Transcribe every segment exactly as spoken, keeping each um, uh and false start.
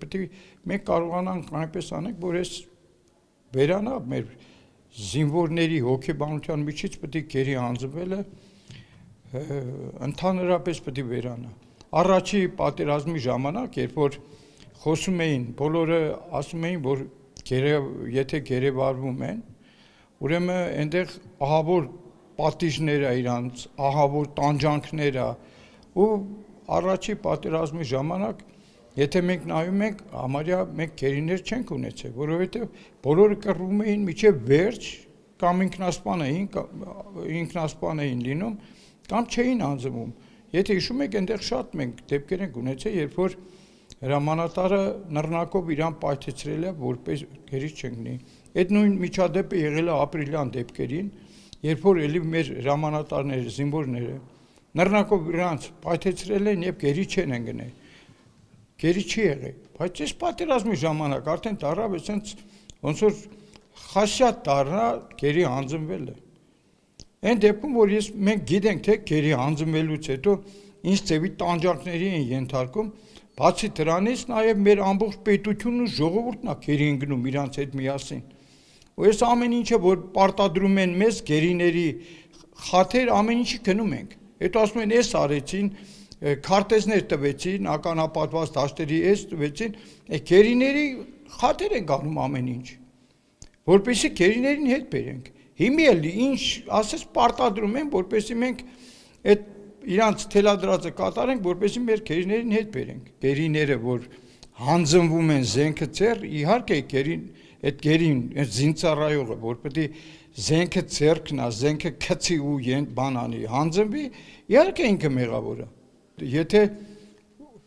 Պետք է մենք կարողանանք այնպես անենք, որ այս վերանա մեր զինվորների հոգեբանության միջից պետք է գերի հանձնվելը ընդհանրապես պետք է վերանա։ Առաջի պատերազմի ժամանակ, երբ որ խոսում էին, բոլորը ասում էին, որ եթե գերեվարվում են, ուրեմն այնտեղ ահավոր պատիժներ է իրանց, ահավոր տանջանքներ է, ու առաջի պատերազմի ժամանակ եթե մենք նայում ենք, համարյա մենք գերիներ չենք ունեցել, որովհետև բոլորը կռվում էին մինչև վերջ, կամ ինքնասպան էին, ինքնասպան էին լինում, կամ չէին հանձնվում։ Եթե հիշում եք, այնտեղ շատ մենք դեպքեր ենք ունեցել, երբ որ հրամանատարը նռնակով իրան պայթեցրել է, որպես գերի չընկնի։ Այդ նույն միջադեպը եղել է ապրիլյան դեպքերին, երբ որ էլի մեր հրամանատարները, զինվորները նռնակով իրանց պայթեցրել են եւ գերի չեն ընկնել։ Գերի չի եղել, բայց այս պատերազմի ժամանակ արդեն դարավ այսպես ոնց որ խասյատ դառնա գերի հանձնվելը։ Այն դեպքում, որ ես մենք գիտենք, թե գերի հանձնվելուց հետո ինչ ձևի տանջանքների են ենթարկում, բացի դրանից նաև մեր ամբողջ պետությունն ու ժողովուրդն է գերի ընկնում իրանց հետ միասին։ Ու այս ամեն ինչը, որ պարտադրում են մեզ գերիների խաթեր, ամեն ինչի գնում ենք։ Հետո ասում են, էս արեցին, քարտեզներ տվեցին, ականապատված դաշտերի էս տվեցին, գերիների խաթեր են գանում ամեն ինչ, որպեսզի գերիներին հետ բերենք։ Հիմի էլ ինչ ասես պարտադրում են, որպեսզի մենք այդ իրանց թելադրածը կատարենք, որպեսզի մեր գերիներին հետ բերենք։ Գերիները, որ հանձնվում են զենքը ծեր, իհարկե գերին, այդ գերին, այդ զինծառայողը, որ պետք է զենքը ձեռքնա, զենքը քցի ու բան անի, հանձնվի, իհարկե ինքը մեղավոր է։ Եթե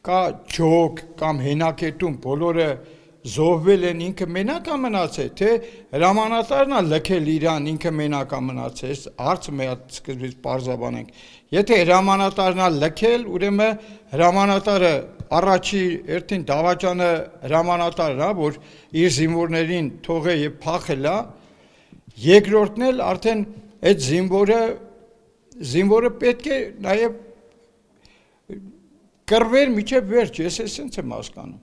կա ջոկ կամ հենակետում բոլորը զոհվել են, ինքը մենակ է մնացել, թե հրամանատարն է լքել իրան, ինքը մենակ է մնացել, հարցը մի հատ սկզբից պարզաբանենք։ Եթե հրամանատարն է լքել, ուրեմն հրամանատարը առաջի երթին դավաճանը հրամանատարն է, որ իր զինվորներին թողե եւ փախել է, երկրորդն էլ արդեն այդ զինվորը զինվորը պետք է նաեւ կռվեր միջև վերջ, ես էսենց եմ հասկանում։